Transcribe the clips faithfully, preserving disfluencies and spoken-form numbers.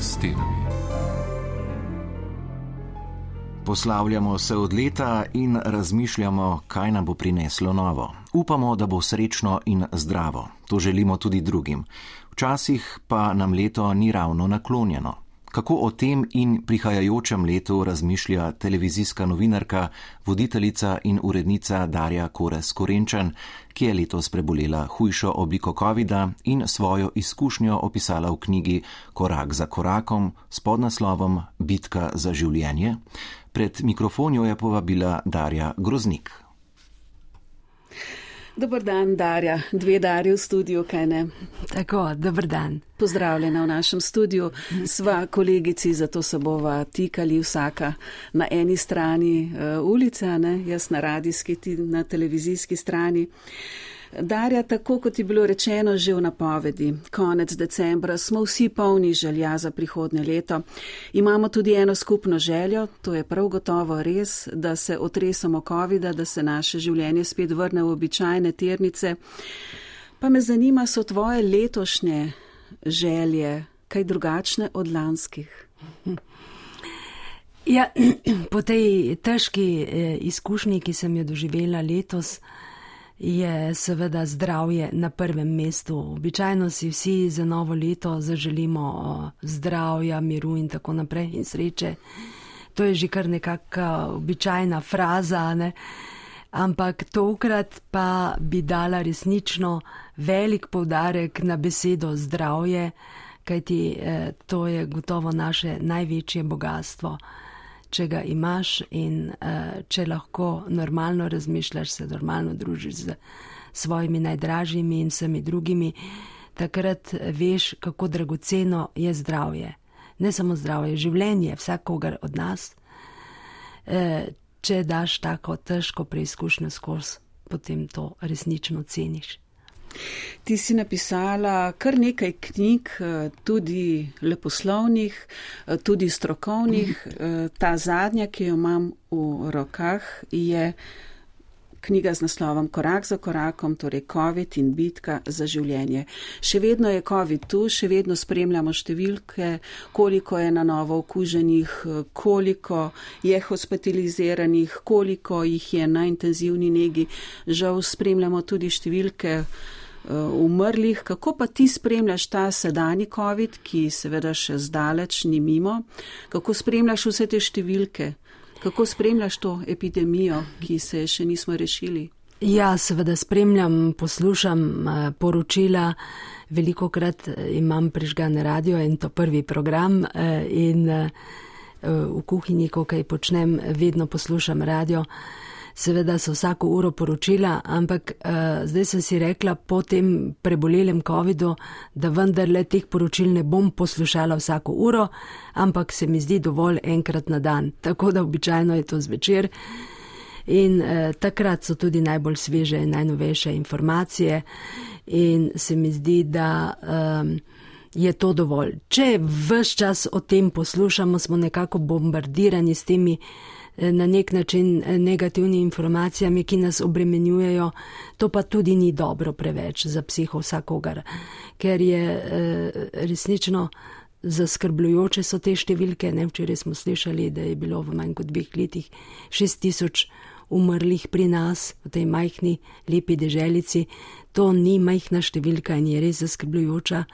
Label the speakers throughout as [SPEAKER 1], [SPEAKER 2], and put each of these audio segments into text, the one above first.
[SPEAKER 1] stenami.
[SPEAKER 2] Poslavljamo se od leta in razmišljamo, kaj nam bo prineslo novo. Upamo, da bo srečno in zdravo. To želimo tudi drugim. Včasih pa nam leto ni ravno naklonjeno. Kako o tem in prihajajočem letu razmišlja televizijska novinarka, voditeljica in urednica Darja Korez Korenčan, ki je letos prebolela hujšo obliko covida in svojo izkušnjo opisala v knjigi Korak za korakom s podnaslovom Bitka za življenje. Pred mikrofon jo je povabila Darja Groznik.
[SPEAKER 3] Dobar dan, Darja. Dve Darji v studiu, kaj ne?
[SPEAKER 4] Tako, dobar dan.
[SPEAKER 3] Pozdravljena v našem studiu. Sva kolegici, zato se bova tikali vsaka na eni strani uh, ulice, ne? Jaz na radijski, ti na televizijski strani. Darja, tako kot je bilo rečeno že v napovedi, konec decembra smo vsi polni želja za prihodnje leto. Imamo tudi eno skupno željo, to je prav gotovo res, da se otresamo covida, da se naše življenje spet vrne v običajne tirnice. Pa me zanima, so tvoje letošnje želje kaj drugačne od lanskih?
[SPEAKER 4] Ja, po tej težki eh, izkušnji, ki sem jo doživela letos, je seveda zdravje na prvem mestu. Običajno si vsi za novo leto zaželimo zdravja, miru in tako naprej in sreče. To je že kar nekakšna običajna fraza, ne? Ampak tokrat pa bi dala resnično velik poudarek na besedo zdravje, kajti eh, to je gotovo naše največje bogatstvo. Če ga imaš in uh, če lahko normalno razmišljaš, se normalno družiš z svojimi najdražjimi in vsemi drugimi, takrat veš, kako dragoceno je zdravje. Ne samo zdravje, življenje vsakogar od nas. Uh, če daš tako težko preizkušnjo skozi, potem to resnično ceniš.
[SPEAKER 3] Ti si napisala kar nekaj knjig, tudi leposlovnih, tudi strokovnih. Ta zadnja, ki jo imam v rokah, je knjiga z naslovom Korak za korakom, torej COVID in bitka za življenje. Še vedno je COVID tu, še vedno spremljamo številke, koliko je na novo okuženih, koliko je hospitaliziranih, koliko jih je na intenzivni negi. Žal spremljamo tudi številke umrlih. Kako pa ti spremljaš ta sedanji COVID, ki seveda še zdaleč ni mimo? Kako spremljaš vse te številke? Kako spremljaš to epidemijo, ki se še nismo rešili?
[SPEAKER 4] Ja, seveda spremljam, poslušam poročila. Velikokrat imam prižgan radio in to prvi program in v kuhinji, ko kaj počnem, vedno poslušam radio. Seveda so vsako uro poročila, ampak uh, zdaj sem si rekla po tem prebolelem covidu, da vendarle teh poročil ne bom poslušala vsako uro, ampak se mi zdi dovolj enkrat na dan. Tako da običajno je to zvečer in uh, takrat so tudi najbolj sveže in najnovejše informacije in se mi zdi, da um, je to dovolj. Če ves čas o tem poslušamo, smo nekako bombardirani s temi na nek način negativni informacijami, ki nas obremenjujejo, to pa tudi ni dobro preveč za psiho vsakogar, ker je eh, resnično zaskrbljujoče so te številke. Ne, včeraj smo slišali, da je bilo v manj kot dveh letih šest tisoč umrlih pri nas, v tej majhni, lepi deželici. To ni majhna številka in je res zaskrbljujoča.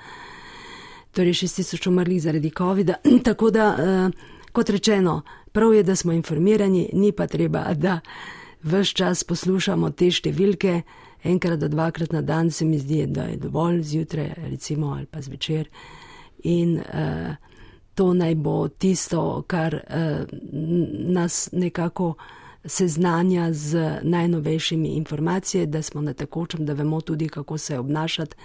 [SPEAKER 4] Torej šest tisoč umrlih zaradi covida. Tako da, eh, kot rečeno, prav je, da smo informirani, ni pa treba, da ves čas poslušamo te številke, enkrat do dvakrat na dan se mi zdi, da je dovolj zjutraj, recimo, ali pa zvečer. In uh, to naj bo tisto, kar uh, nas nekako seznanja z najnovejšimi informacijami, da smo na tekočem, da vemo tudi, kako se obnašati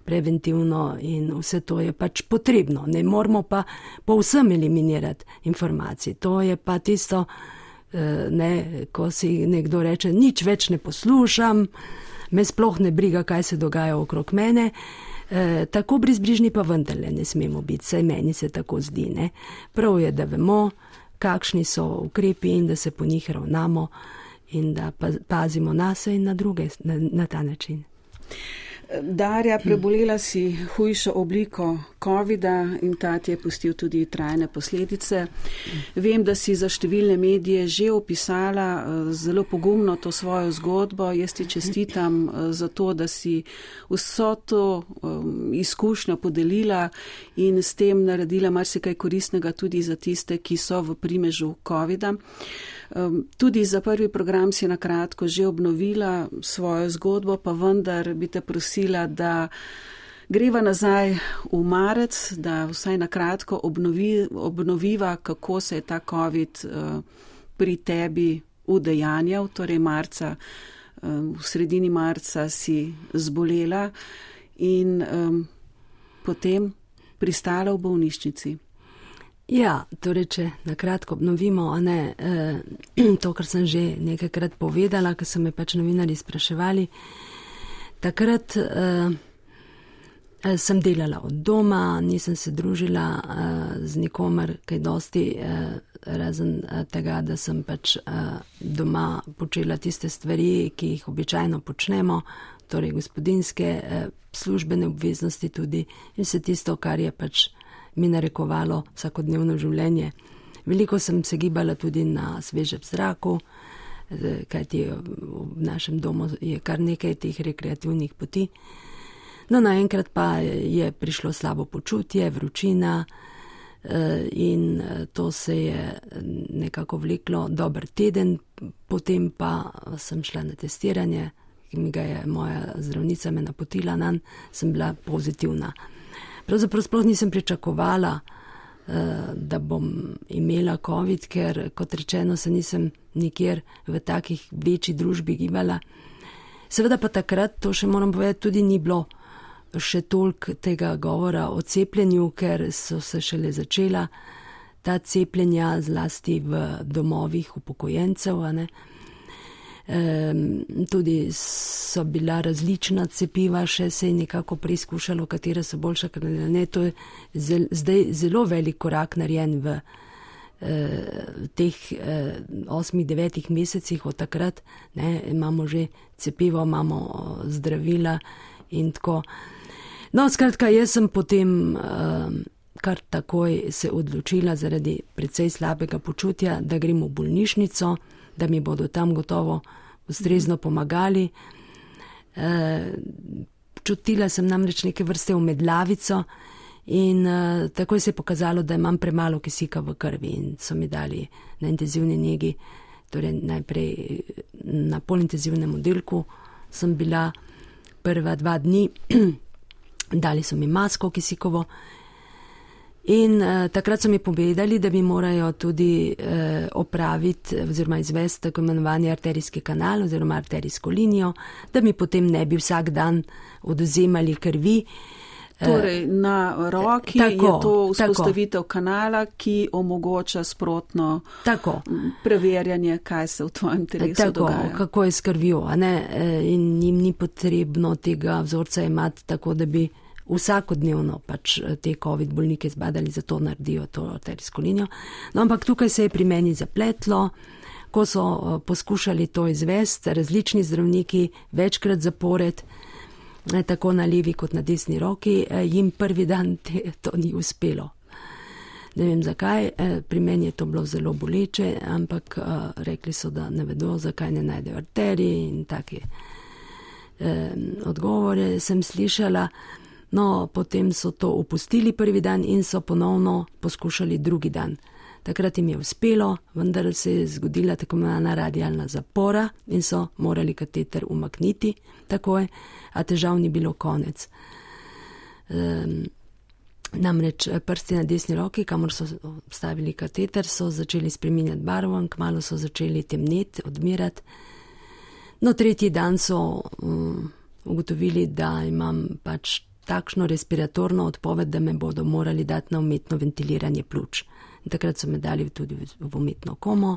[SPEAKER 4] preventivno in vse to je pač potrebno. Ne moramo pa povsem eliminirati informacij. To je pa tisto, ne, ko si nekdo reče, nič več ne poslušam, me sploh ne briga, kaj se dogaja okrog mene. E, tako brezbrižni pa vendarle ne smemo biti, saj meni se tako zdi. Ne. Prav je, da vemo, kakšni so ukrepi in da se po njih ravnamo in da pazimo na se in na druge na, na ta način.
[SPEAKER 3] Darja, prebolela si hujšo obliko covida in ta ti je pustil tudi trajne posledice. Vem, da si za številne medije že opisala zelo pogumno to svojo zgodbo. Jaz ti čestitam za to, da si vso to izkušnjo podelila in s tem naredila marsikaj koristnega tudi za tiste, ki so v primežu covida. Tudi za prvi program si na kratko že obnovila svojo zgodbo, pa vendar bi te prosila, da greva nazaj v marec, da vsaj na kratko obnovi, obnoviva, kako se je ta covid pri tebi udejanjal, torej marca, v sredini marca si zbolela in potem pristala v bolnišnici.
[SPEAKER 4] Ja, torej, če na kratko obnovimo, a ne, eh, to, kar sem že nekajkrat povedala, ker so me pač novinarji spraševali. Takrat eh, sem delala od doma, nisem se družila eh, z nikomer kaj dosti, eh, razen tega, da sem pač eh, doma počela tiste stvari, ki jih običajno počnemo, torej gospodinske, eh, službene obveznosti tudi in vse tisto, kar je pač mi narekovalo vsakodnevno življenje. Veliko sem se gibala tudi na svežem zraku, kajti v našem domu je kar nekaj teh rekreativnih poti. No, naenkrat pa je prišlo slabo počutje, vročina in to se je nekako vleklo dober teden, potem pa sem šla na testiranje, ki mi ga je moja zdravnica me napotila nanj, sem bila pozitivna. Pravzaprav sploh nisem pričakovala, da bom imela covid, ker, kot rečeno, se nisem nikjer v takih večji družbi gibala. Seveda pa takrat, to še moram povedati, tudi ni bilo še toliko tega govora o cepljenju, ker so se šele začela ta cepljenja zlasti v domovih upokojencev, a ne. Um, tudi so bila različna cepiva, še se je nekako preizkušalo, katera so boljša, ker ne, to je zel, zdaj zelo velik korak narejen v uh, teh uh, osmih, devetih mesecih od takrat, ne, imamo že cepivo, imamo zdravila in tako. No, skratka, jaz sem potem uh, kar takoj se odločila zaradi precej slabega počutja, da grem v bolnišnico, da mi bodo tam gotovo ustrezno pomagali. E, čutila sem namreč neke vrste omedlavico in e, takoj se je pokazalo, da imam premalo kisika v krvi in so mi dali na intenzivni negi, torej najprej na polintenzivnem oddelku sem bila prva dva dni, dali so mi masko kisikovo. In uh, takrat so mi povedali, da mi morajo tudi uh, opraviti oziroma izvesti tako imenovani arterijski kanal oziroma arterijsko linijo, da mi potem ne bi vsak dan odvzemali krvi.
[SPEAKER 3] Torej, na roki tako, je to vzpostavitev tako. Kanala, ki omogoča sprotno tako. Preverjanje, kaj se v tvojem telesu tako, dogaja.
[SPEAKER 4] Kako je s krvjo, a ne? In njim ni potrebno tega vzorca imati tako, da bi vsakodnevno pač te covid bolnike zbadali, zato naredijo to arterijsko linijo. No, ampak tukaj se je pri meni zapletlo, ko so poskušali to izvesti, različni zdravniki večkrat zapored, tako na levi kot na desni roki, jim prvi dan te, to ni uspelo. Ne vem zakaj, pri meni je to bilo zelo boleče, ampak rekli so, da ne vedo, zakaj ne najdejo arterije in take eh, odgovore sem slišala. No, potem so to opustili prvi dan in so ponovno poskušali drugi dan. Takrat jim je uspelo, vendar se je zgodila tako imenovana radialna zapora in so morali kateter umakniti takoj, a težav ni bilo konec. Um, namreč prsti na desni roki, kamor so stavili kateter, so začeli spreminjati barvo in kmalu so začeli temneti, odmirati. No, tretji dan so um, ugotovili, da imam pač takšno respiratorno odpoved, da me bodo morali dati na umetno ventiliranje pljuč. In takrat so me dali tudi v umetno komo,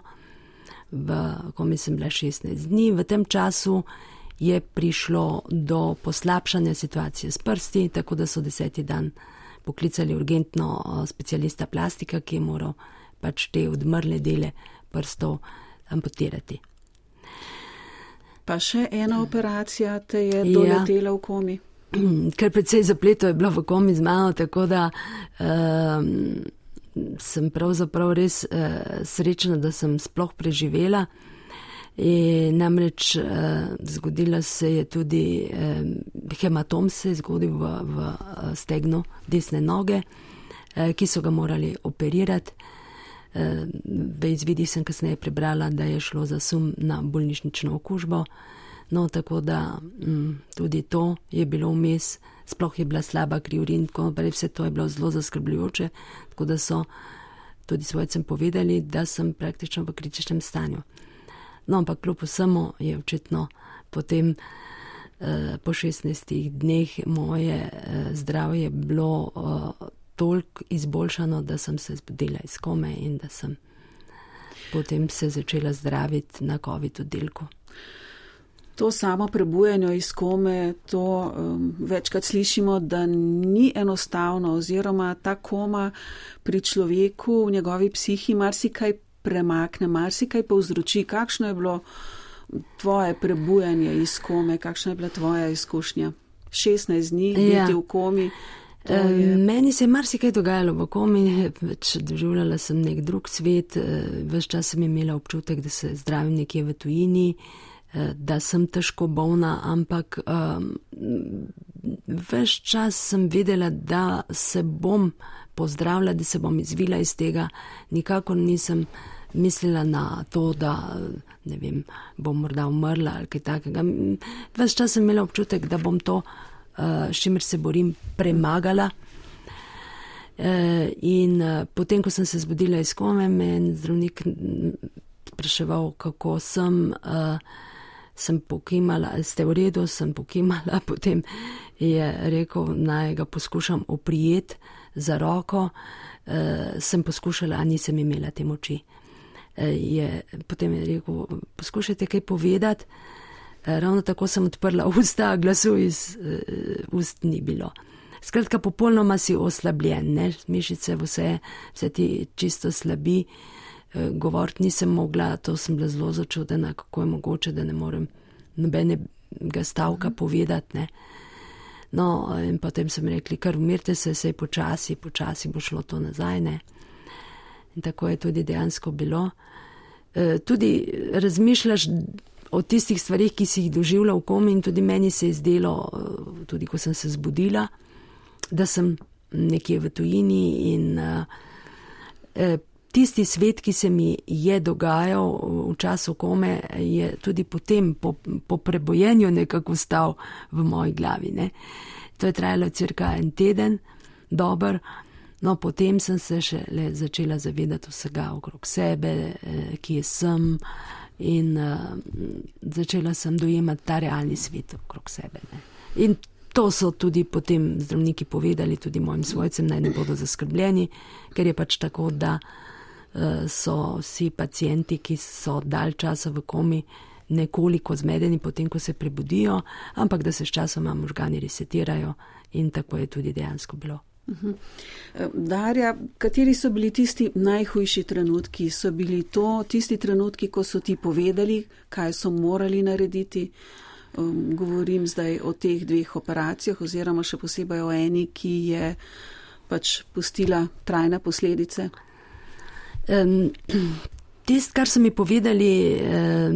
[SPEAKER 4] v komi sem bila šestnajst dni. V tem času je prišlo do poslabšanja situacije s prsti, tako da so deseti dan poklicali urgentno specialista plastika, ki je moral pač te odmrle dele prstov amputirati.
[SPEAKER 3] Pa še ena operacija te je doletela v komi?
[SPEAKER 4] ker precej zapletov je bilo v komi z mano, tako da um, sem pravzaprav res uh, srečna, da sem sploh preživela. In namreč uh, zgodila se je tudi um, hematom se je zgodil v, v stegnu desne noge, uh, ki so ga morali operirati. Uh, v izvidih sem kasneje prebrala, da je šlo za sum na bolnišnično okužbo. No, tako da m, tudi to je bilo vmes, sploh je bila slaba kri, urin, vse to je bilo zelo zaskrbljujoče, tako da so tudi svojcem povedali, da sem praktično v kritičnem stanju. No, ampak kljub vsemu je očitno potem eh, po šestnajstih dneh moje eh, zdravje bilo eh, toliko izboljšano, da sem se zbudila iz kome in da sem potem se začela zdraviti na COVID oddelku.
[SPEAKER 3] To samo prebujanje iz kome, to um, večkrat slišimo, da ni enostavno oziroma ta koma pri človeku v njegovi psihi marsikaj premakne, marsikaj povzroči. Kakšno je bilo tvoje prebujanje iz kome, kakšna je bila tvoja izkušnja? šestnajst dni
[SPEAKER 4] ja.
[SPEAKER 3] biti v komi.
[SPEAKER 4] Je... Meni se je marsikaj dogajalo v komi, več doživljala sem nek drug svet, ves čas sem imela občutek, da se zdravim nekje v tujini, da sem težko bolna, ampak um, ves čas sem vedela, da se bom pozdravila, da se bom izvila iz tega. Nikakor nisem mislila na to, da ne vem, bom morda umrla ali kaj takega. Ves čas sem imela občutek, da bom to, uh, s čimer se borim, premagala. Uh, in uh, potem, ko sem se zbudila iz kome, me je zdravnik spraševal, kako sem... Uh, sem pokimala, ste v redu, sem pokimala, potem je rekel, naj ga poskušam oprijeti za roko, e, sem poskušala, a nisem imela te moči. E, je, potem je rekel, poskušajte kaj povedati, e, ravno tako sem odprla usta, glasu iz e, ust ni bilo. Skratka, popolnoma si oslabljen, ne? Mišice, vse, vse ti čisto slabi. Govoriti nisem mogla, to sem bila zelo začudena, kako je mogoče, da ne morem nobenega stavka povedati. Ne. No, in potem sem rekli, kar umirte se, sej počasi, počasi bo šlo to nazaj. Ne. In tako je tudi dejansko bilo. E, tudi razmišljaš o tistih stvarih, ki si jih doživela v komi in tudi meni se je zdelo, tudi ko sem se zbudila, da sem nekje v tujini in e, tisti svet, ki se mi je dogajal v času kome, je tudi potem po, po prebojenju nekako stal v moji glavi. Ne. To je trajalo cirka en teden, dober, no potem sem se še le začela zavedati vsega okrog sebe, kje sem in uh, začela sem dojemati ta realni svet okrog sebe. Ne. In to so tudi potem zdravniki povedali, tudi mojim svojcem, naj ne bodo zaskrbljeni, ker je pač tako, da so vsi pacijenti, ki so dalj časa v komi, nekoliko zmedeni potem, ko se prebudijo, ampak da se s časoma možgani resetirajo in tako je tudi dejansko bilo.
[SPEAKER 3] Uh-huh. Darja, kateri so bili tisti najhujši trenutki? So bili to tisti trenutki, ko so ti povedali, kaj so morali narediti? Um, govorim zdaj o teh dveh operacijah oziroma še posebej o eni, ki je pač pustila trajne posledice.
[SPEAKER 4] Um, Tist, kar so mi povedali, um,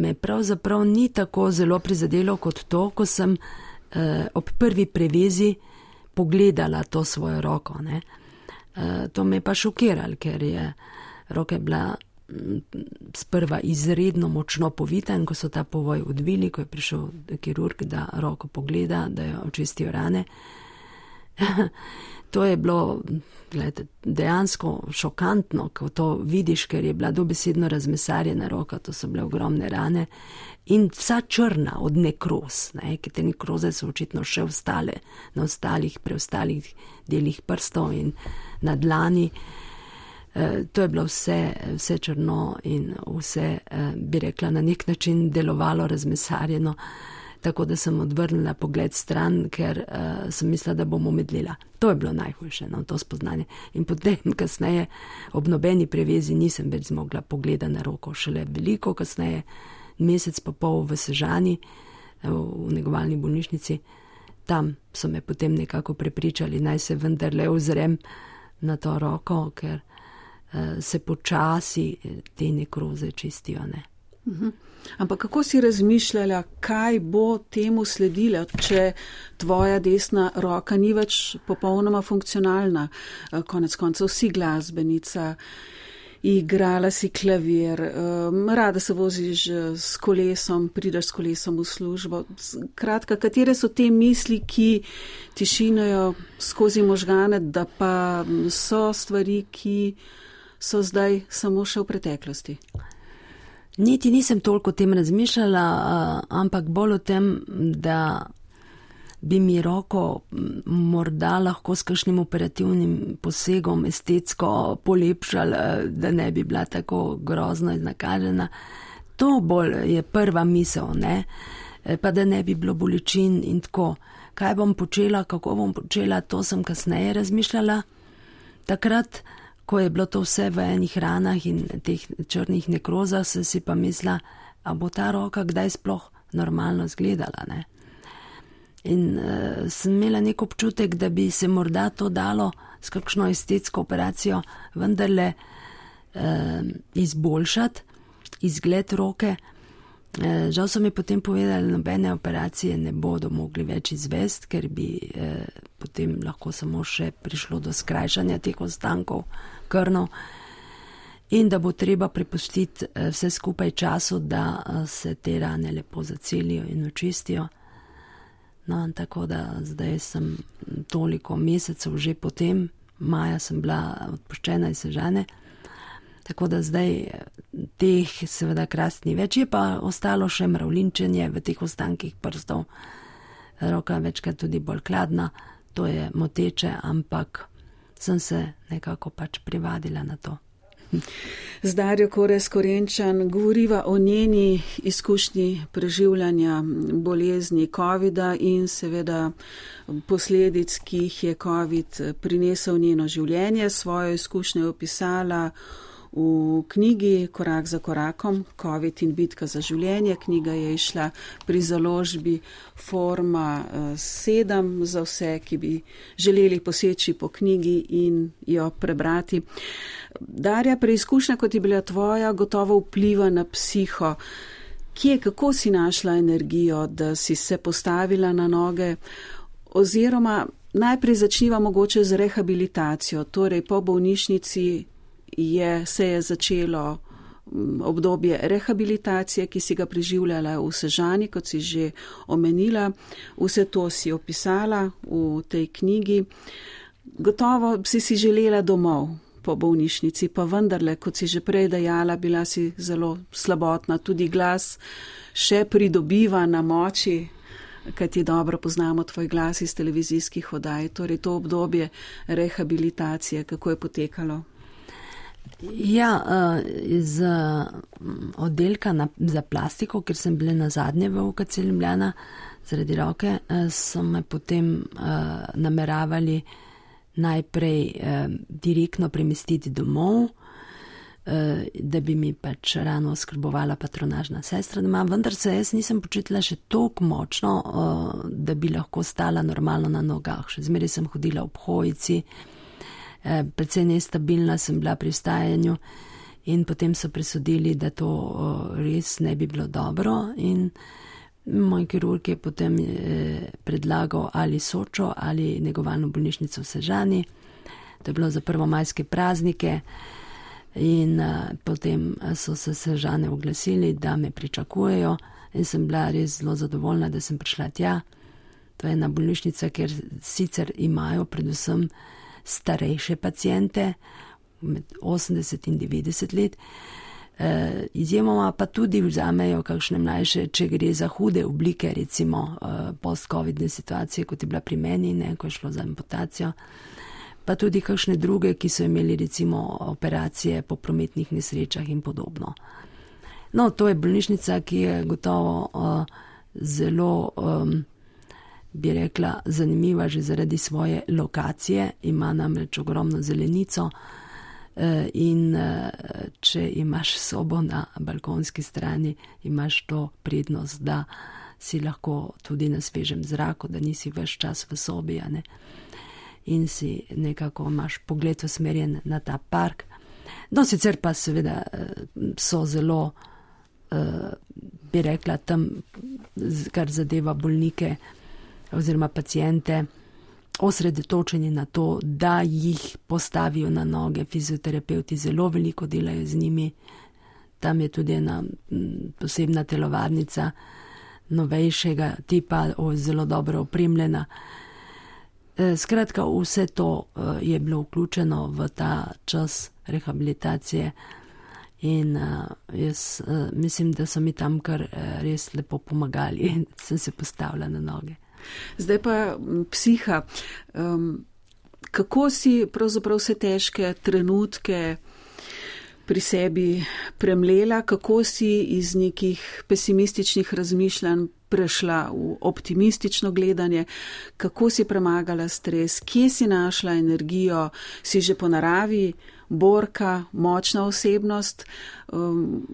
[SPEAKER 4] me pravzaprav ni tako zelo prizadelo kot to, ko sem uh, ob prvi prevezi pogledala to svojo roko. Ne. Uh, to me je pa šokiralo, ker je roka bila sprva izredno močno povita in ko so ta povoj odvili, ko je prišel kirurg, da roko pogleda, da jo očistijo rane. To je bilo gledajte, dejansko šokantno, ko to vidiš, ker je bila dobesedno razmesarjena roka, to so bile ogromne rane in vsa črna od nekroz, ne, ker te nekroze so očitno še ostale na ostalih, preostalih delih prstov in na dlani. E, to je bilo vse, vse črno in vse, e, bi rekla, na nek način delovalo razmesarjeno. Tako da sem odvrnila pogled stran, ker uh, sem mislila, da bom omedlela. To je bilo najhujše, no, to spoznanje. In potem kasneje ob nobeni prevezi nisem več zmogla pogleda na roko. Šele veliko kasneje, mesec pa pol v Sežani, v negovalni bolnišnici, tam so me potem nekako prepričali, naj se vendarle ozrem na to roko, ker uh, se počasi te nekroze čistijo, ne.
[SPEAKER 3] Uh-huh. Ampak kako si razmišljala, kaj bo temu sledilo, če tvoja desna roka ni več popolnoma funkcionalna? Konec koncev si glasbenica, igrala si klavir, rada se voziš s kolesom, prideš s kolesom v službo. Kratka, katere so te misli, ki ti šinejo skozi možgane, da pa so stvari, ki so zdaj samo še v preteklosti?
[SPEAKER 4] Niti nisem toliko o tem razmišljala, ampak bolj o tem, da bi mi roko morda lahko s kakšnim operativnim posegom estetsko polepšali, da ne bi bila tako grozno iznakažena. To bolj je prva misel, ne? Pa da ne bi bilo bolečin in tako. Kaj bom počela, kako bom počela, to sem kasneje razmišljala. Takrat, ko je bilo to vse v enih ranah in teh črnih nekrozah, sem si pa mislila, a bo ta roka kdaj sploh normalno izgledala, ne? In uh, sem imela nek občutek, da bi se morda to dalo s kakšno estetsko operacijo vendarle uh, izboljšati, izgled roke. Uh, žal so mi potem povedali, nobene operacije ne bodo mogli več izvesti, ker bi uh, potem lahko samo še prišlo do skrajšanja teh ostankov krvnov in da bo treba prepustiti uh, vse skupaj času, da uh, se te rane lepo zacelijo in očistijo. No, tako da zdaj sem toliko mesecev že potem, maja sem bila odpuščena iz Sežane, tako da zdaj teh seveda krast ni več, je pa ostalo še mravlinčenje v teh ostankih prstov, roka večkrat tudi bolj hladna, to je moteče, ampak sem se nekako pač privadila na to.
[SPEAKER 3] Z Darjo Korez Korenčan govoriva o njeni izkušnji preživljanja bolezni covida in seveda posledic, ki jih je covid prinesel njeno življenje. Svojo izkušnjo je opisala v knjigi Korak za korakom, Covid in bitka za življenje. Knjiga je išla pri založbi Forma sedem za vse, ki bi želeli poseči po knjigi in jo prebrati. Darja, preizkušnja, kot je bila tvoja, gotovo vpliva na psiho. Kje, kako si našla energijo, da si se postavila na noge? Oziroma, najprej začniva mogoče z rehabilitacijo, torej po bolnišnici je, se je začelo obdobje rehabilitacije, ki si ga preživljala v Sežani, kot si že omenila. Vse to si opisala v tej knjigi. Gotovo si si želela domov po bolnišnici, pa vendarle, kot si že prej dejala, bila si zelo slabotna, tudi glas še pridobiva na moči, kajti dobro poznamo tvoj glas iz televizijskih oddaj, torej to obdobje rehabilitacije, kako je potekalo?
[SPEAKER 4] Ja, iz oddelka za plastiko, ker sem bila na zadnje v U K C Ljubljana zaradi roke, so me potem nameravali najprej direktno premestiti domov, da bi mi pač rano oskrbovala patronažna sestra doma, vendar se jaz nisem počutila še toliko močno, da bi lahko stala normalno na nogah. Še zmeraj sem hodila ob hojici, predvsej nestabilna sem bila pri vstajanju in potem so presodili, da to res ne bi bilo dobro in moj kirurg je potem predlagal ali Sočo ali negovalno bolnišnico v Sežani. To je bilo za prvomajske praznike in potem so se Sežane oglasili, da me pričakujejo in sem bila res zelo zadovoljna, da sem prišla tja. To je ena bolnišnica, kjer sicer imajo predvsem starejše pacijente, med osemdeset in devetdeset let, e, izjemoma pa tudi vzamejo kakšne mlajše, če gre za hude oblike, recimo e, post-covidne situacije, kot je bila pri meni, ne, ko je šlo za amputacijo, pa tudi kakšne druge, ki so imeli recimo operacije po prometnih nesrečah in podobno. No, to je bolnišnica, ki je gotovo e, zelo um, bi rekla, zanimiva že zaradi svoje lokacije, ima namreč ogromno zelenico in če imaš sobo na balkonski strani, imaš to prednost, da si lahko tudi na svežem zraku, da nisi več čas v sobi, a ne? In si nekako imaš pogled usmerjen na ta park. No, sicer pa seveda so zelo, bi rekla, tam, kar zadeva bolnike oziroma pacijente, osredotočeni na to, da jih postavijo na noge. Fizioterapeuti zelo veliko delajo z njimi. Tam je tudi ena posebna telovadnica novejšega tipa, zelo dobro opremljena. Skratka, vse to je bilo vključeno v ta čas rehabilitacije in jaz mislim, da so mi tam kar res lepo pomagali in sem se postavila na noge.
[SPEAKER 3] Zdaj pa psiha. Um, kako si pravzaprav vse težke trenutke pri sebi premlela, kako si iz nekih pesimističnih razmišljanj prešla v optimistično gledanje, kako si premagala stres, kje si našla energijo, si že po naravi borka, močna osebnost, um,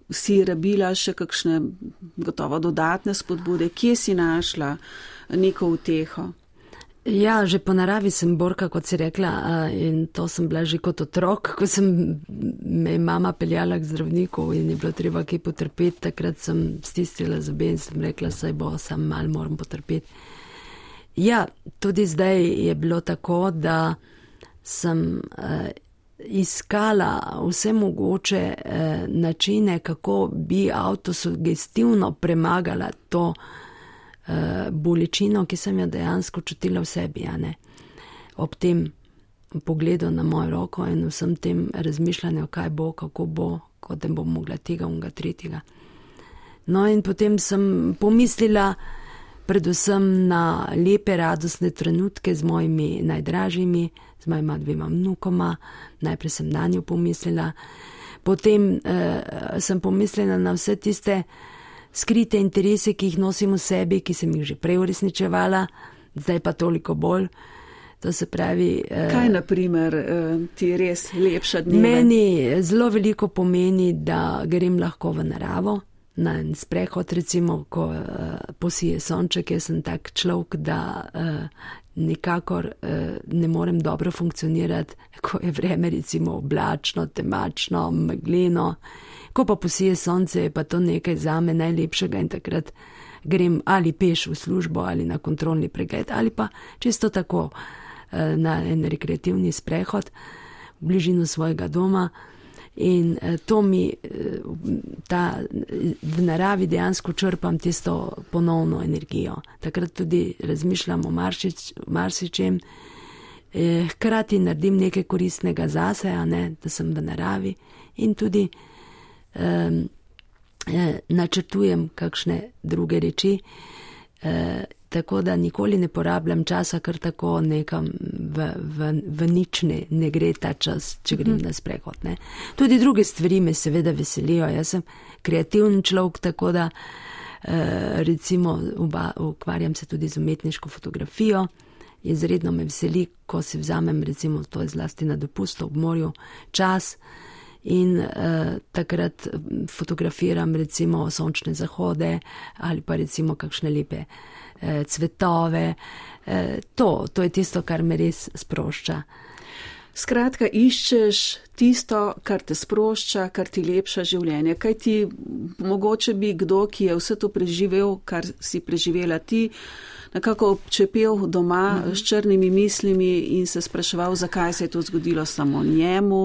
[SPEAKER 3] si rabila še kakšne gotovo dodatne spodbude, kje si našla neko uteho?
[SPEAKER 4] Ja, že po naravi sem borka, kot si rekla, in to sem bila že kot otrok, ko sem me mama peljala k zdravniku in je bilo treba kaj potrpeti, takrat sem stisnila zobe in sem rekla, saj bo, sam malo moram potrpeti. Ja, tudi zdaj je bilo tako, da sem eh, iskala vse mogoče eh, načine, kako bi avtosugestivno premagala to bolečino, ki sem jo dejansko čutila v sebi, a ne. Ob tem pogledu na mojo roko in vsem tem razmišljanju, kaj bo, kako bo, kot da bom mogla tega, unga, tretjega. No in potem sem pomislila predvsem na lepe, radostne trenutke z mojimi najdražjimi, z mojima dvema vnukoma, najprej sem na njo pomislila, potem eh, sem pomislila na vse tiste skrite interese, ki jih nosim v sebi, ki sem jih že prej uresničevala, zdaj pa toliko bolj. To se pravi...
[SPEAKER 3] Kaj naprimer ti res lepša dneve?
[SPEAKER 4] Meni zelo veliko pomeni, da grem lahko v naravo, na en sprehod, recimo, ko posije sonček, jaz sem tak človek, da nikakor ne morem dobro funkcionirati, ko je vreme recimo oblačno, temačno, megleno. Ko pa posije sonce, je pa to nekaj zame najlepšega in takrat grem ali peš v službo ali na kontrolni pregled ali pa čisto tako na en rekreativni sprehod v bližino svojega doma in to mi, ta, v naravi dejansko črpam tisto ponovno energijo. Takrat tudi razmišljam o marsič, marsičem, hkrati naredim nekaj koristnega zase, a ne, da sem v naravi in tudi Um, eh, načrtujem kakšne druge reči, eh, tako da nikoli ne porabljam časa, kar tako nekam v, v, v nič ne, ne gre ta čas, če grem na sprehod. Ne. Tudi druge stvari me seveda veselijo. Jaz sem kreativni človek, tako da eh, recimo uba, ukvarjam se tudi z umetniško fotografijo. Izredno me veseli, ko si vzamem, recimo to je zlasti na dopustu ob morju, čas, in uh, takrat fotografiram recimo sončne zahode ali pa recimo kakšne lepe uh, cvetove. Uh, to, to je tisto, kar me res sprošča.
[SPEAKER 3] Skratka, iščeš tisto, kar te sprošča, kar ti lepša življenje. Kaj ti, mogoče bi kdo, ki je vse to preživel, kar si preživela ti, nekako občepel doma mm-hmm. s črnimi mislimi in se spraševal, zakaj se je to zgodilo samo njemu,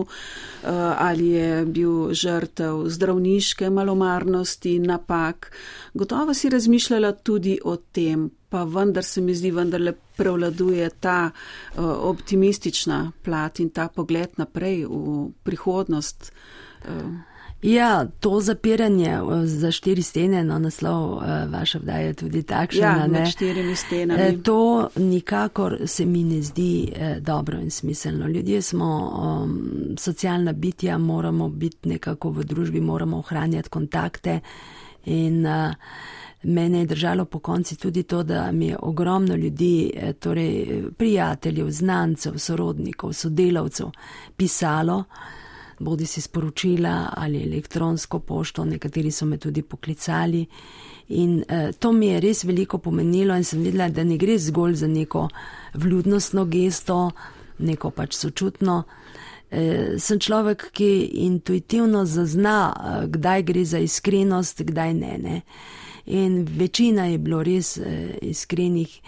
[SPEAKER 3] ali je bil žrtev zdravniške malomarnosti, napak. Gotovo si razmišljala tudi o tem, pa vendar se mi zdi, vendarle prevladuje ta optimistična plat in ta pogled naprej v prihodnost.
[SPEAKER 4] Ja, to zapiranje za štiri stene, no naslov vaša vdaja je tudi takšna.
[SPEAKER 3] Ja, med štirimi stenami.
[SPEAKER 4] To nikakor se mi ne zdi dobro in smiselno. Ljudje smo um, socialna bitja, moramo biti nekako v družbi, moramo ohranjati kontakte in uh, mene je držalo po konci tudi to, da mi je ogromno ljudi, torej prijateljev, znancev, sorodnikov, sodelavcev pisalo, bodi si sporočila ali elektronsko pošto, nekateri so me tudi poklicali in eh, to mi je res veliko pomenilo in sem videla, da ne gre zgolj za neko vljudnostno gesto, neko pač sočutno. Eh, sem človek, ki intuitivno zazna, eh, kdaj gre za iskrenost, kdaj ne, ne. In večina je bilo res eh, iskrenih,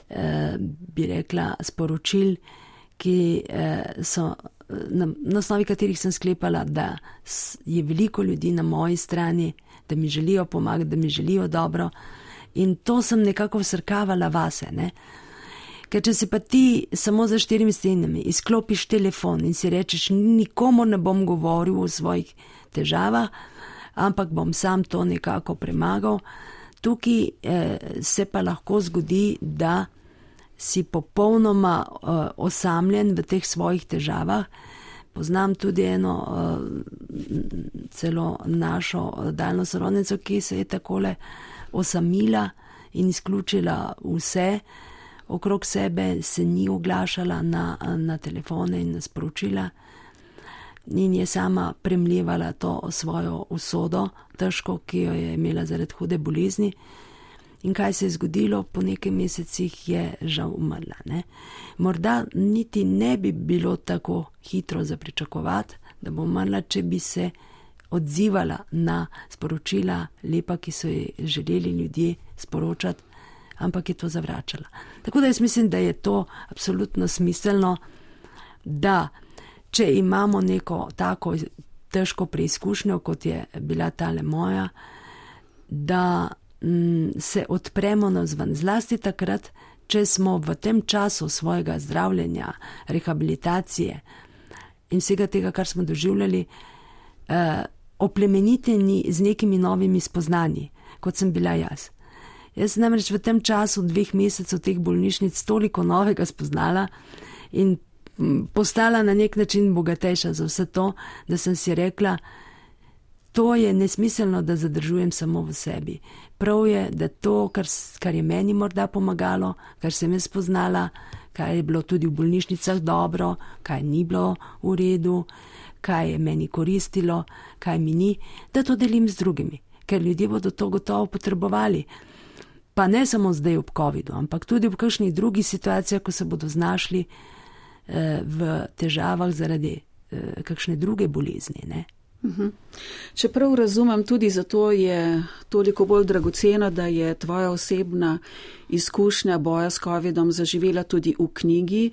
[SPEAKER 4] eh, bi rekla, sporočil, ki eh, so, na, na osnovi katerih sem sklepala, da je veliko ljudi na moji strani, da mi želijo pomagati, da mi želijo dobro. In to sem nekako vsrkavala vase, ne. Ker če si pa ti samo za štirimi stenami izklopiš telefon in si rečeš, nikomu ne bom govoril o svojih težavah, ampak bom sam to nekako premagal, tukaj eh, se pa lahko zgodi, da si popolnoma uh, osamljen v teh svojih težavah. Poznam tudi eno uh, celo našo daljno sorodnico, ki se je takole osamila in izključila vse okrog sebe, se ni oglašala na, na telefone in na sporočila in je sama premljevala to svojo usodo, težko, ki jo je imela zaradi hude bolezni. In kaj se je zgodilo, po nekaj mesecih je žal umrla. Ne? Morda niti ne bi bilo tako hitro za pričakovati, da bo umrla, če bi se odzivala na sporočila lepa, ki so ji želeli ljudje sporočati, ampak je to zavračala. Tako da jaz mislim, da je to absolutno smiselno, da če imamo neko tako težko preizkušnjo, kot je bila tale moja, da se odpremo navzven, zlasti takrat, če smo v tem času svojega zdravljenja, rehabilitacije in vsega tega, kar smo doživljali, eh, oplemeniteni z nekimi novimi spoznanji, kot sem bila jaz. Jaz sem namreč v tem času dveh mesecev teh bolnišnic toliko novega spoznala in postala na nek način bogatejša za vse to, da sem si rekla, to je nesmiselno, da zadržujem samo v sebi. Prav je, da to, kar, kar je meni morda pomagalo, kar sem jaz spoznala, kaj je bilo tudi v bolnišnicah dobro, kaj ni bilo v redu, kaj je meni koristilo, kaj mi ni, da to delim z drugimi, ker ljudje bodo to gotovo potrebovali. Pa ne samo zdaj ob covidu, ampak tudi v kakšnih drugih situacijah, ko se bodo znašli eh, v težavah zaradi eh, kakšne druge bolezni, ne.
[SPEAKER 3] Uhum. Čeprav razumem, tudi zato je toliko bolj dragoceno, da je tvoja osebna izkušnja boja s covidom zaživela tudi v knjigi,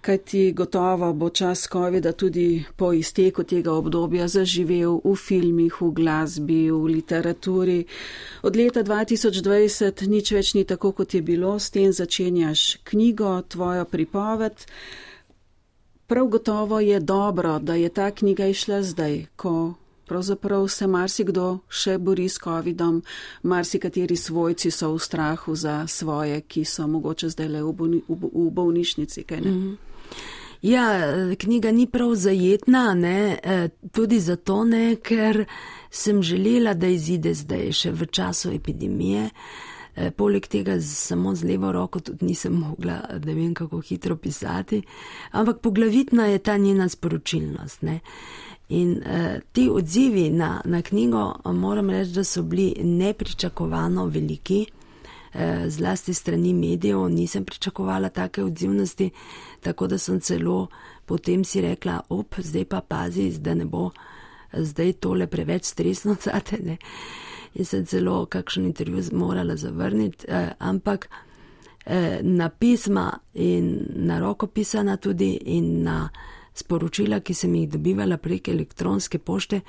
[SPEAKER 3] kajti gotovo bo čas covida tudi po izteku tega obdobja zaživel v filmih, v glasbi, v literaturi. Od leta dva tisoč dvajset nič več ni tako, kot je bilo, s tem začenjaš knjigo, tvojo pripoved. Prav gotovo je dobro, da je ta knjiga išla zdaj, ko pravzaprav se marsikdo še bori s covidom, marsikateri svojci so v strahu za svoje, ki so mogoče zdaj le v, bolni, v, v bolnišnici, kaj ne?
[SPEAKER 4] Ja, knjiga ni prav zajetna, ne, tudi zato ne, ker sem želela, da izide zdaj še v času epidemije. Poleg tega samo z levo roko tudi nisem mogla, da vem kako hitro pisati, ampak poglavitna je ta njena sporočilnost. Ne? In eh, ti odzivi na, na knjigo, moram reči, da so bili nepričakovano veliki, eh, zlasti strani medijev, nisem pričakovala take odzivnosti, tako da sem celo potem si rekla, op, zdaj pa pazi, da ne bo zdaj tole preveč stresno zate, ne. In sem celo kakšen intervju morala zavrniti, eh, ampak eh, na pisma in na roko pisana tudi in na sporočila, ki sem jih dobivala prek elektronske pošte,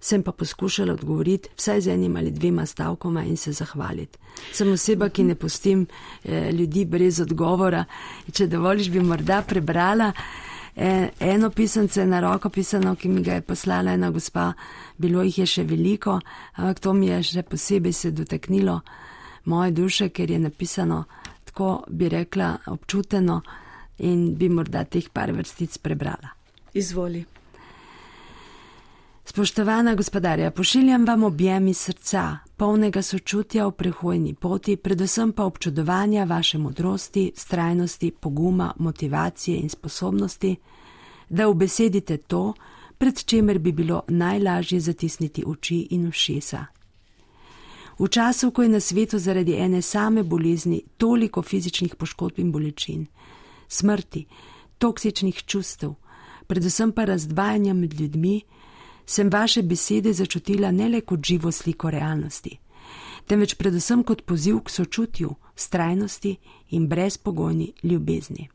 [SPEAKER 4] sem pa poskušala odgovoriti vsaj z enim ali dvema stavkoma in se zahvaliti. Sem oseba, ki ne pustim eh, ljudi brez odgovora. Če dovoliš, bi morda prebrala eno pisance na roko pisano, ki mi ga je poslala ena gospa, bilo jih je še veliko, ampak to mi je še posebej se dotaknilo moje duše, ker je napisano tako, bi rekla, občuteno in bi morda teh par vrstic prebrala.
[SPEAKER 3] Izvoli.
[SPEAKER 4] Spoštovana gospodarja, pošiljam vam objem iz srca, polnega sočutja v prehojni poti, predvsem pa občudovanja vaše modrosti, vztrajnosti, poguma, motivacije in sposobnosti, da ubesedite to, pred čemer bi bilo najlažje zatisniti oči in ušesa. V času, ko je na svetu zaradi ene same bolezni toliko fizičnih poškodb in bolečin, smrti, toksičnih čustev, predvsem pa razdvajanja med ljudmi, sem vaše besede začutila ne le kot živo sliko realnosti, temveč predvsem kot poziv k sočutju, vztrajnosti in brezpogojni ljubezni.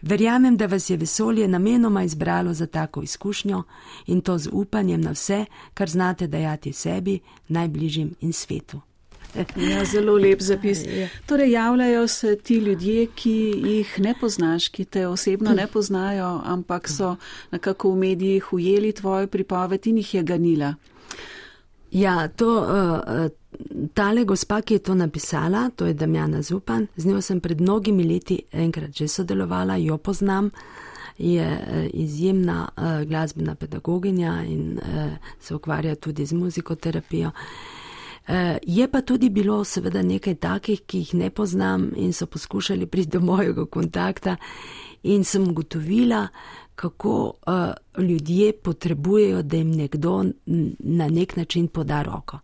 [SPEAKER 4] Verjamem, da vas je vesolje namenoma izbralo za tako izkušnjo in to z upanjem na vse, kar znate dajati sebi, najbližjim in svetu.
[SPEAKER 3] Ja, zelo lep zapis. Torej, javljajo se ti ljudje, ki jih ne poznaš, ki te osebno ne poznajo, ampak so nekako v medijih ujeli tvojo pripoved in jih je ganila.
[SPEAKER 4] Ja, to, uh, tale gospa, ki je to napisala, to je Damjana Zupan, z njo sem pred mnogimi leti enkrat že sodelovala, jo poznam, je uh, izjemna uh, glasbena pedagoginja in uh, se ukvarja tudi z muzikoterapijo. Uh, je pa tudi bilo seveda nekaj takih, ki jih ne poznam in so poskušali priti do mojega kontakta in sem ugotovila, kako uh, ljudje potrebujejo, da jim nekdo na nek način poda roko.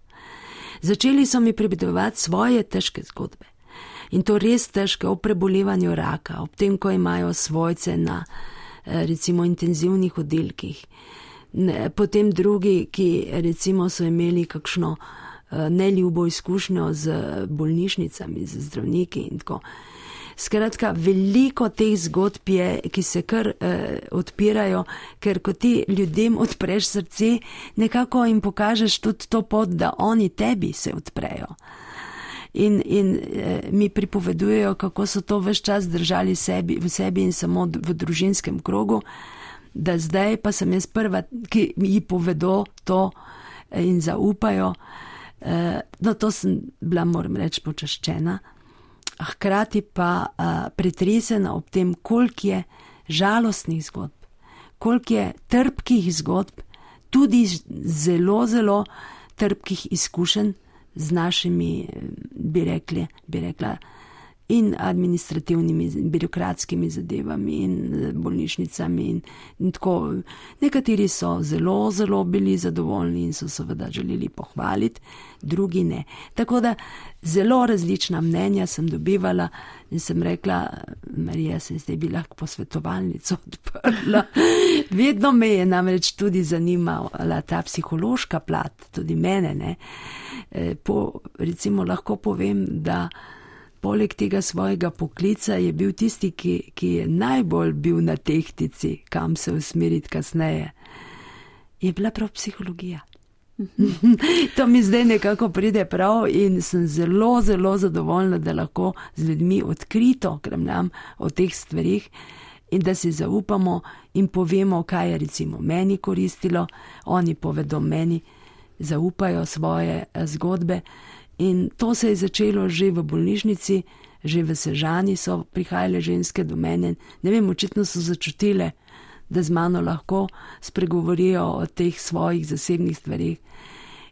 [SPEAKER 4] Začeli so mi pripovedovati svoje težke zgodbe. In to res težke, o prebolevanju raka, ob tem, ko imajo svojce na recimo intenzivnih oddelkih. Potem drugi, ki recimo so imeli kakšno neljubo izkušnjo z bolnišnicami, z zdravniki in tako. Skratka, veliko teh zgodb je, ki se kar eh, odpirajo, ker ko ti ljudem odpreš srce, nekako jim pokažeš tudi to pot, da oni tebi se odprejo. In, in eh, mi pripovedujejo, kako so to ves čas držali sebi, v sebi in samo v družinskem krogu, da zdaj pa sem jaz prva, ki ji povedo to in zaupajo. Eh, no, to sem bila, moram reči, počaščena. Hkrati pa uh, pretresena ob tem, koliko je žalostnih zgodb, koliko je trpkih zgodb, tudi zelo, zelo trpkih izkušenj z našimi, bi rekli, bi rekla, in administrativnimi, birokratskimi zadevami in bolnišnicami in, in tako. Nekateri so zelo, zelo bili zadovoljni in so seveda želeli pohvaliti, drugi ne. Tako da zelo različna mnenja sem dobivala in sem rekla, Marija, se zdaj bi lahko posvetovalnico odprla. Vedno me je namreč tudi zanimala ta psihološka plat, tudi mene, ne. Po, recimo lahko povem, da poleg tega svojega poklica je bil tisti, ki, ki je najbolj bil na tehtici, kam se usmeriti kasneje, je bila prav psihologija. To mi zdaj nekako pride prav in sem zelo, zelo zadovoljna, da lahko z ljudmi odkrito kremljam o teh stvarih in da si zaupamo in povemo, kaj je recimo meni koristilo, oni povedo meni, zaupajo svoje zgodbe. In to se je začelo že v bolnišnici, že v Sežani so prihajale ženske do mene. Ne vem, očitno so začutile, da z mano lahko spregovorijo o teh svojih zasebnih stvarih.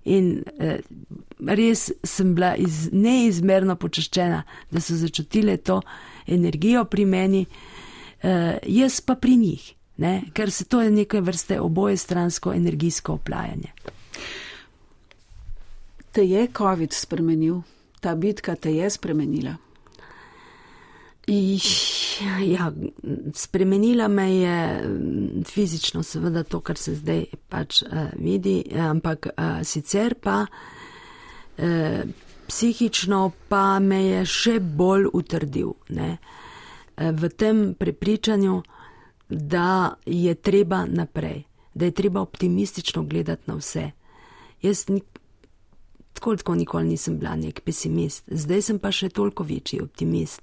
[SPEAKER 4] In eh, res sem bila iz, neizmerno počaščena, da so začutile to energijo pri meni, eh, jaz pa pri njih, ne? Ker se to je neke vrste obojestransko energijsko oplajanje.
[SPEAKER 3] Te je COVID spremenil? Ta bitka te je spremenila?
[SPEAKER 4] Ja, spremenila me je fizično, seveda to, kar se zdaj pač uh, vidi, ampak uh, sicer pa uh, psihično pa me je še bolj utrdil, ne? Uh, v tem prepričanju, da je treba naprej, da je treba optimistično gledati na vse. Jaz nik Tako, tako nikoli nisem bila nek pesimist. Zdaj sem pa še toliko večji optimist,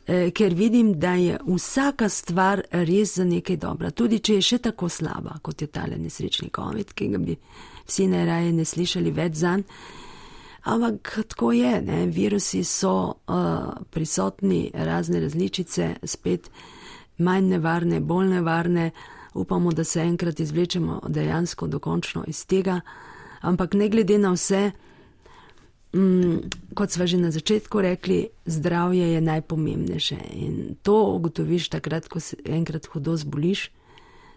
[SPEAKER 4] e, ker vidim, da je vsaka stvar res za nekaj dobra. Tudi, če je še tako slaba, kot je tale nesrečni COVID, ki ga bi vsi najraje ne slišali več zanj. Ampak tako je, ne? Virusi so uh, prisotni, razne različice, spet manj nevarne, bolj nevarne. Upamo, da se enkrat izvlečemo dejansko dokončno iz tega. Ampak ne glede na vse, mm, kot sva že na začetku rekli, zdravje je najpomembnejše in to ugotoviš takrat, ko se enkrat hudo zboliš,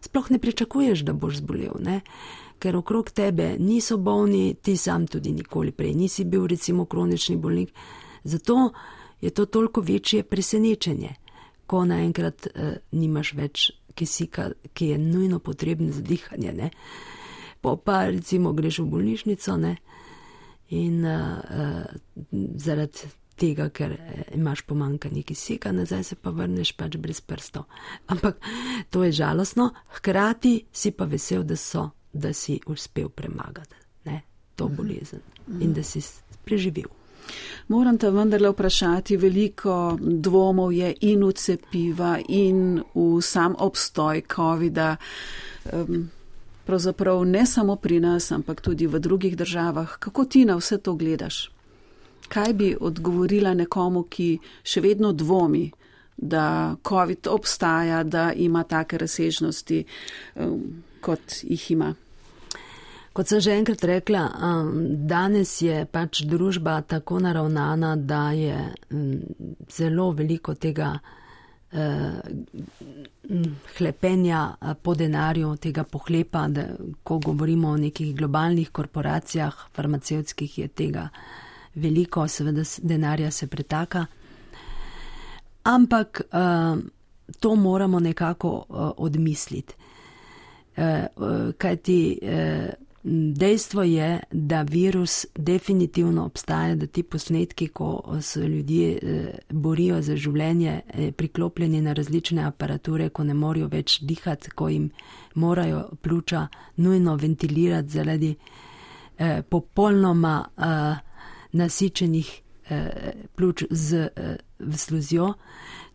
[SPEAKER 4] sploh ne pričakuješ, da boš zbolel, ne? Ker okrog tebe niso bolni, ti sam tudi nikoli prej nisi bil recimo kronični bolnik. Zato je to toliko večje presenečenje, ko naenkrat eh, nimaš več kisika, ki je nujno potreben za dihanje, ne? Po pa recimo greš v bolnišnico, ne? In uh, uh, zaradi tega, ker imaš pomanjkanje kisika, nazaj se pa vrneš pač brez prstov. Ampak to je žalostno, hkrati si pa vesel, da, so, da si uspel premagati, ne? To bolezen in da si preživel.
[SPEAKER 3] Moram te vendarle vprašati, veliko dvomov je in v cepiva in v sam obstoj covida. Um, pravzaprav ne samo pri nas, ampak tudi v drugih državah. Kako ti na vse to gledaš? Kaj bi odgovorila nekomu, ki še vedno dvomi, da covid obstaja, da ima take razsežnosti, um, kot jih ima?
[SPEAKER 4] Kot sem že enkrat rekla, danes je pač družba tako naravnana, da je zelo veliko tega hlepenja po denarju, tega pohlepa, da ko govorimo o nekih globalnih korporacijah, farmacevtskih, je tega veliko, seveda denarja se pretaka. Ampak to moramo nekako odmisliti. Kajti dejstvo je, da virus definitivno obstaja, da ti posnetki, ko se ljudje borijo za življenje, priklopljeni na različne aparature, ko ne morajo več dihati, ko jim morajo pljuča nujno ventilirati zaradi eh, popolnoma eh, nasičenih eh, pljuč z eh, sluzjo,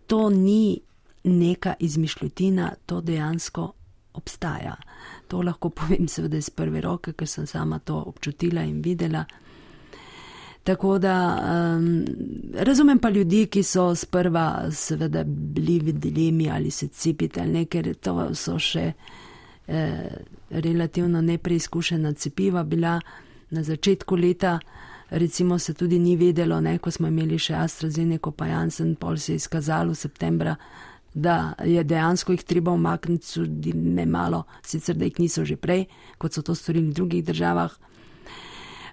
[SPEAKER 4] to ni neka izmišljotina, to dejansko obstaja. To lahko povem seveda iz prve roke, ker sem sama to občutila in videla. Tako da um, razumem pa ljudi, ki so sprva seveda bili v dilemi ali se cepiti ali ne, ker to so še eh, relativno nepreizkušena cepiva bila na začetku leta. Recimo se tudi ni vedelo, ne, ko smo imeli še AstraZeneca pa Janssen, pol se je izkazalo septembra, da je dejansko jih treba umakniti tudi ne malo, sicer da jih niso že prej, kot so to storili v drugih državah.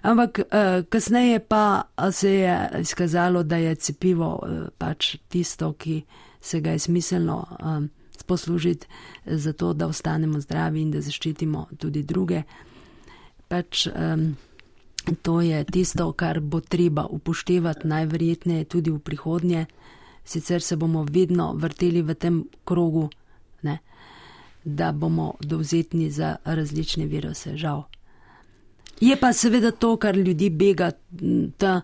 [SPEAKER 4] Ampak eh, kasneje pa se je izkazalo, da je cepivo eh, pač tisto, ki se ga je smiselno eh, poslužiti za to, da ostanemo zdravi in da zaščitimo tudi druge. Pač eh, to je tisto, kar bo treba upoštevati najverjetneje tudi v prihodnje. Sicer se bomo vedno vrteli v tem krogu, ne, da bomo dovzetni za različne viruse, žal. Je pa seveda to, kar ljudi bega, ta,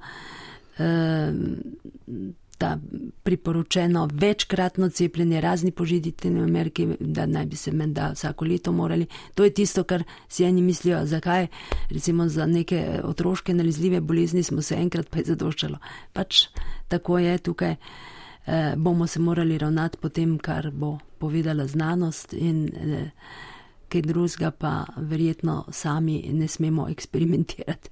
[SPEAKER 4] ta priporočeno večkratno cepljenje, razni požititelji v Ameriki, da naj bi se menda vsako leto morali. To je tisto, kar si eni mislijo, zakaj recimo za neke otroške nalezljive bolezni smo se enkrat pa je zadoščalo. Pač tako je tukaj. Eh, bomo se morali ravnati po tem, kar bo povedala znanost in eh, kaj drugega pa verjetno sami ne smemo eksperimentirati.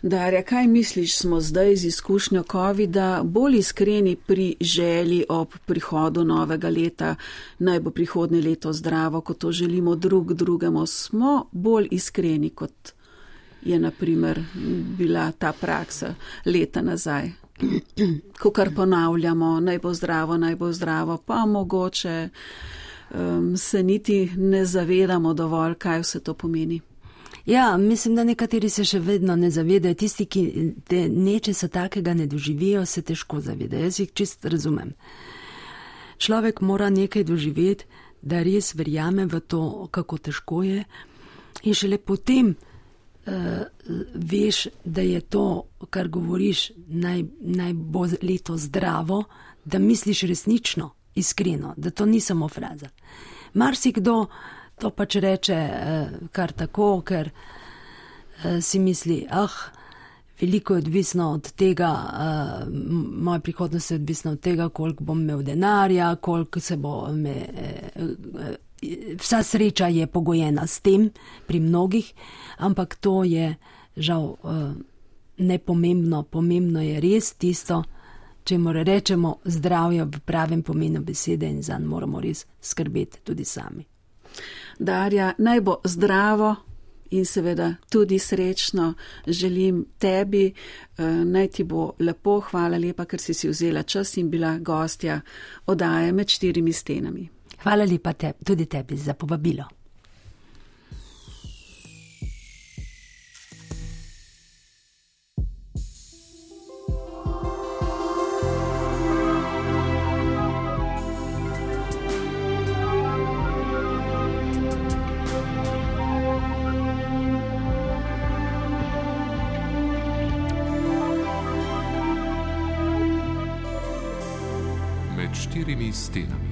[SPEAKER 3] Darja, kaj misliš, smo zdaj z izkušnjo covida bolj iskreni pri želji ob prihodu novega leta, naj bo prihodnje leto zdravo, kot to želimo drug drugemu, smo bolj iskreni, kot je na primer bila ta praksa leta nazaj? Ko kar ponavljamo, naj bo zdravo, naj bo zdravo, pa mogoče um, se niti ne zavedamo dovolj, kaj vse to pomeni.
[SPEAKER 4] Ja, mislim, da nekateri se še vedno ne zavedajo. Tisti, ki te nečesa takega ne doživijo, se težko zavedajo. Jaz jih čist razumem. Človek mora nekaj doživeti, da res verjame v to, kako težko je, in šele potem Uh, veš, da je to, kar govoriš, naj, naj bo leto zdravo, da misliš resnično, iskreno, da to ni samo fraza. Marsikdo to pač reče uh, kar tako, ker uh, si misli, ah, veliko je odvisno od tega, uh, moja prihodnost je odvisna od tega, koliko bom imel denarja, koliko se bo me... Uh, Vsa sreča je pogojena s tem pri mnogih, ampak to je žal nepomembno. Pomembno je res tisto, če mora rečemo zdravje v pravem pomenu besede in zanj moramo res skrbeti tudi sami.
[SPEAKER 3] Darja, naj bo zdravo in seveda tudi srečno želim tebi, naj ti bo lepo, hvala lepa, ker si si vzela čas in bila gostja oddaje Med štirimi stenami.
[SPEAKER 4] Hvala lepa te, tudi tebi za povabilo.
[SPEAKER 1] Med štirimi stenami.